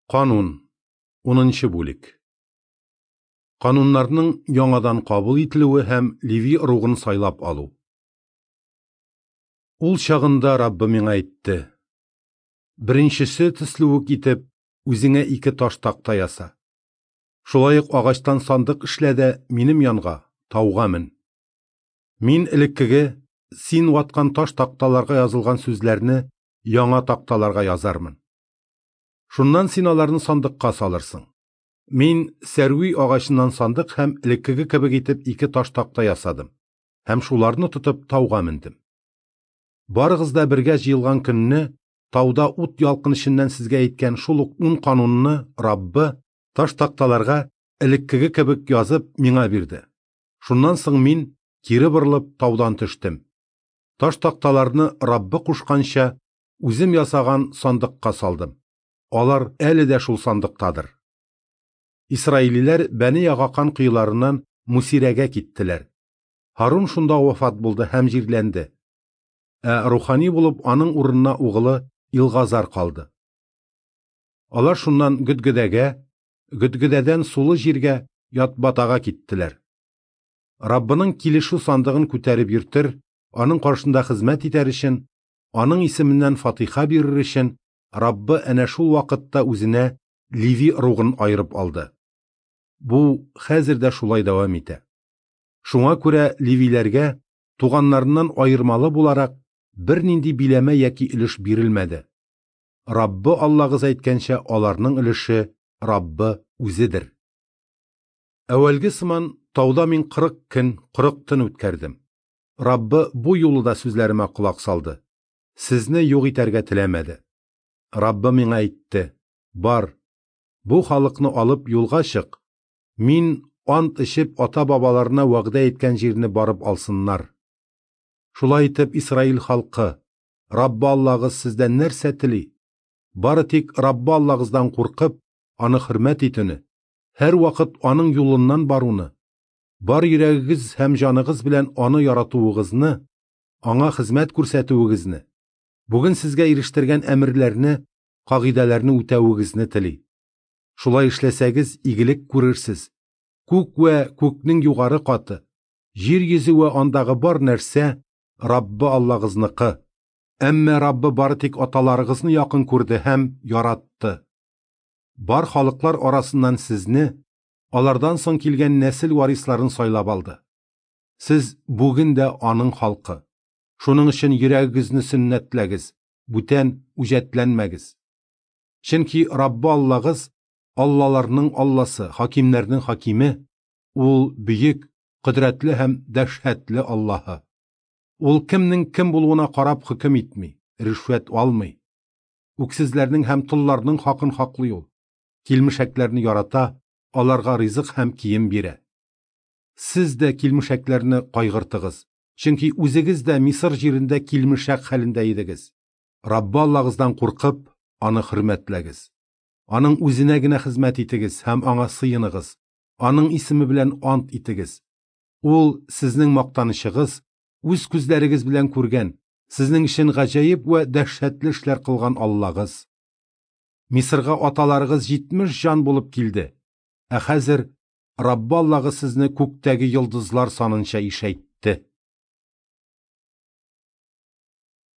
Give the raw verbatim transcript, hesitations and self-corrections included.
Канун, унынчы бүлек. Кануннарның яңадан кабул ителүе һәм Леви ыругын сайлап алу. Ул чагында Раббы миңа әйтте: Беренчесе төсле үк итеп, үзеңә ике таш такта яса. Шулай ук агачтан сандык эшлә дә минем янга, тауга мен. Мин элеккеге син ваткан таш такталарга язылган сүзләрне яңа такталарга язармын. Шуннан син аларны сандыкка салырсың. Мин сәрви агачыннан сандык һәм элеккеге кебек итеп ике таш такта ясадым һәм шуларны тотып тауга мендем. Барыгыз да бергә җыелган көнне тауда ут ялкын эченнән сезгә әйткән шул ук ун канунны Раббы таш такталарга элеккеге кебек язып миңа бирде. Шуннан соң мин кире борылып таудан төштем. Таш такталарны Раббы кушканча үзем ясаган сандыкка салдым. Алар әле дә шул сандыктадыр. Исраилиләр Бәни Ягакан коеларыннан Мусирәгә киттеләр. Һарун шунда вафат булды һәм җирләнде. Ә рухани булып аның урынына угылы Илгазар калды. Алар шуннан Гөдгөдәгә, Гөдгөдәдән сулы җиргә Ятбатага киттеләр. Раббының килешү сандыгын күтәреп йөртер, аның каршында хезмәт итәр өчен, аның исеменнән фатиха бирер өчен Раббы әнә шул вакытта үзенә Леви ыругын аерып алды. Бу хәзер дә шулай дәвам итә. Шуңа күрә левиләргә туганнарыннан аермалы буларак бернинди биләмә яки өлеш бирелмәде. Раббы Аллагыз әйткәнчә, аларның өлеше Раббы үзедер. Әүвәлге сыман тауда мин кырык көн, кырык төн үткәрдем. Раббы бу юлы да сүзләремә колак салды. Сезне юк итәргә теләмәде. Раббы миңа әйтте: Бар, бу халыкны алып юлга чык. Мин ант эчеп ата-бабаларына вәгъдә иткән җирне барып алсыннар. Шулай итеп Исраил халкы, Раббы Аллагыз сездән нәрсә тели? Бары тик Раббы Аллагыздан куркып, аны хөрмәт итүне, һәр вакыт аның юлыннан баруны, бар йөрәгегез һәм җаныгыз белән аны яратуыгызны, аңа хезмәт күрсәтүегезне, бүген сезгә ирештергән әмерләрне, кагыйдәләрне үтәвегезне тели. Шулай эшләсәгез, игелек күрерсез. Күк вә күкнең югары каты, җир йөзе вә андагы бар нәрсә Раббы Аллагызныкы. Әмма Раббы бары тик аталарыгызны якын күрде һәм яратты. Бар халыклар арасыннан сезне, алардан соң килгән нәсел варисларын сайлап алды. Сез бүген дә аның халкы. Шуның өчен йөрәгегезне сөннәтләгез, бүтән үҗәтләнмәгез. Чөнки Раббы Аллагыз Аллаларның Алласы, хакимнәрнең хакиме, ул бөек, кодрәтле һәм дәһшәтле Аллаһы. Ул кемнең кем булуына карап хөкем итми, ришвәт алмый. Үксезләрнең һәм толларның хакын хаклый ул. Килмешәкләрне ярата, аларга ризык һәм кием бирә. Сез дә килмешәкләрне кайгыртыгыз, чөнки үзегез дә Мисыр җирендә килмешәк хәлендә идегез. Раббы Аллагыздан куркып, аны хөрмәтләгез. Аның үзенә генә хезмәт итегез һәм аңа сыеныгыз. Аның исеме белән ант итегез. Ул сезнең мактанычыгыз, үз күзләрегез белән күргән, сезнең өчен гаҗәеп вә дәһшәтле эшләр кылган Аллагыз. Мисырга аталарыгыз җитмеш җан булып килде. Ә хәзер Раббы Аллагыз сезне күктәге йолдызлар санынча ишәйтте.